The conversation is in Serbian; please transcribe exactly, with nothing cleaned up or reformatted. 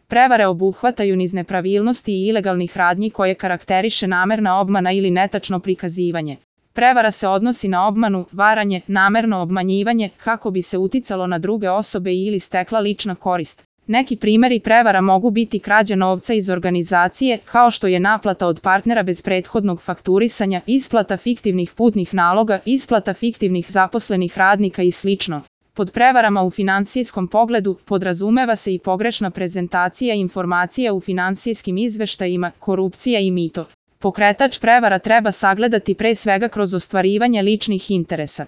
Prevare obuhvataju niz nepravilnosti i ilegalnih radnji koje karakteriše namerna obmana ili netačno prikazivanje. Prevara se odnosi na obmanu, varanje, namerno obmanjivanje kako bi se uticalo na druge osobe ili stekla lična korist. Neki primeri prevara mogu biti krađa novca iz organizacije, kao što je naplata od partnera bez prethodnog fakturisanja, isplata fiktivnih putnih naloga, isplata fiktivnih zaposlenih radnika i slično. Pod prevarama u finansijskom pogledu podrazumeva se i pogrešna prezentacija informacija u finansijskim izveštajima, korupcija i mito. Pokretač prevara treba sagledati pre svega kroz ostvarivanje ličnih interesa.